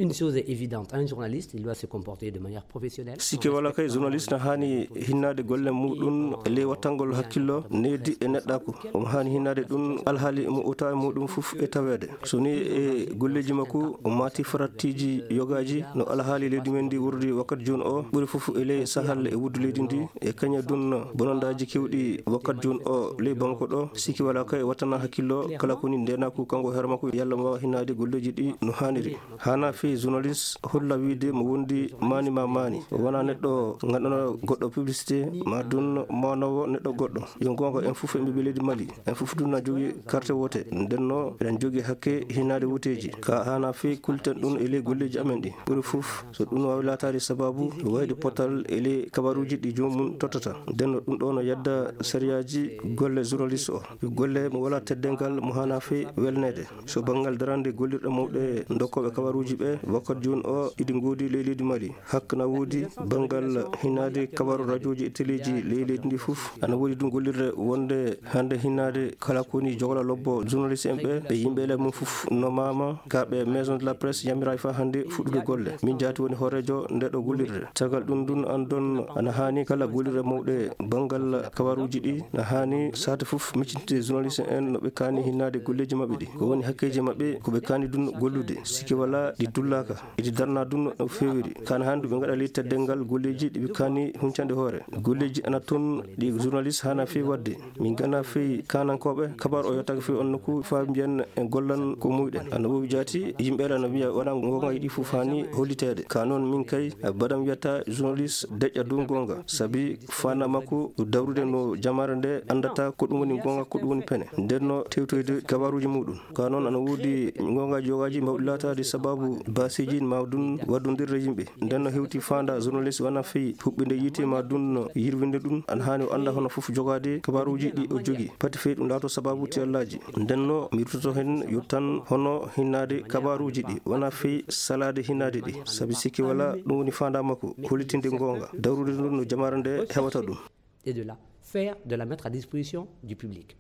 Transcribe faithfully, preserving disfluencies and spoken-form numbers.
Une chose est évidente, un journaliste, il doit se comporter de manière professionnelle. Sikke wala kay, journaliste na haani hinnaade golle muɗum e ley wattangol hakkillo, needi e neɗɗaaku. Omo haani hinnaade ɗum alhaali mo uta e muɗum fof e taweede. So ni e golleeji makko, o maati farattiiji yogaaji no alhaali leydi men ndi wurdi wakkati jooni o, ɓuri fof e ley sahal e wuddu leydi ndi, e kaña dun bonondaaji kewɗi wakkati jooni o ley Bamako ɗo. Sikke wala kay, wattana hakkillo kala ko ni ndeenaaku kanko hoore makko, yalla mo waawa hinnaade golleeji ɗi no haaniri. Haana fii journaliste holla wiide mo wondi maani ma maani. O wona neɗɗo ganndano goɗɗo publicité, ma dun mawnowo neɗɗo goɗɗo. Yo goonga, en fof en ɓiɓɓe leydi Mali. En fof dun na jogi carte wote. Ndenno, eɗen jogi hakke hinnaade woteeji. Ka haana fii kulten ɗum e ley golleeji amen ɗi. Ɓuri fof, so ɗum waawi laataade sababu wayde potal e ley kabaruuji ɗi joomum tottata. Ndenno, ɗum ɗo no yadda sariyaaji golle journaliste o. Golle mo wala teddengal mo haana fii welneede. So banngal darande gollirɗe mawɗe dokkooɓe kabaruuji ɓe, wakkati jooni o, iɗi ngoodi ley leydi Mali. Hak na woodi banngal hinnaade kabaru rajooji e teleeji ley leydi ndi fof. Ana woodi ɗum gollirde wonde hannde hinnaade kala ko woni jogla lobbo journaliste en ɓe, ɓe yimɓe ele mum fof no maama, ka ɓe maison de la presse yamiraay fa hannde fuɗɗude golle. Min jaati woni hooreejo nde ɗo gollirde. Tagal ɗum ɗum andon ana haani kala gollirde mawɗe banngal kabaruuji ɗi na haani saate fof miccitde journaliste en no ɓe kaani hinnaade golleeji maɓɓe ɗi. Ko woni hakkeeji maɓɓe, ko ɓe kaani ɗum gollude. Sikke wala ɗi dullaaka. Iɗi darna ɗum no feewiri. Kana haani ɗum ɓe ngaɗa ley teddengal golleeji ɗi ɓe kaani huncande hoore. Golleeji ana toon ɗi journaliste haana fii waɗde. Min gana fii kaanankooɓe, kabaru o yottake fii on nokku faa mbiyen en gollan ko muyɗen. Ana wowi jaati, yimɓe ana wiya wona goonga yiɗi fof haani holliteede. Ka noon min kay, badam wiyata journaliste deƴƴa dow goonga. Sabi faanda makko dawrude no jamaare nde anndata ko ɗum woni goonga, ko ɗum woni pene. Nden no tewtoyde kabaruuji muɗum. Ka noon ana woodi goongaaji yogaaji mbawɗi laataade sababu basiiji ma ɗum waddondirde yimɓe. Nden no hewti faanda journaliste wona fii huɓɓinde yiite ma ɗum no yirwinde ɗum. Ana haani o annda hono fof jogaade kabaruuji ɗi o jogi. Pati fii ɗum laato sababu tiyallaaji. Nden no mi ruttoto heen yottan hono hinnaade kabaruuji ɗi wona fii salaade hinnaade ɗi. Sabi sikke wala ɗum woni faanda makko, hollitinde goonga, dawrude ɗum no jamaare nde heɓata ɗum. Et de la faire, de la mettre à disposition du public.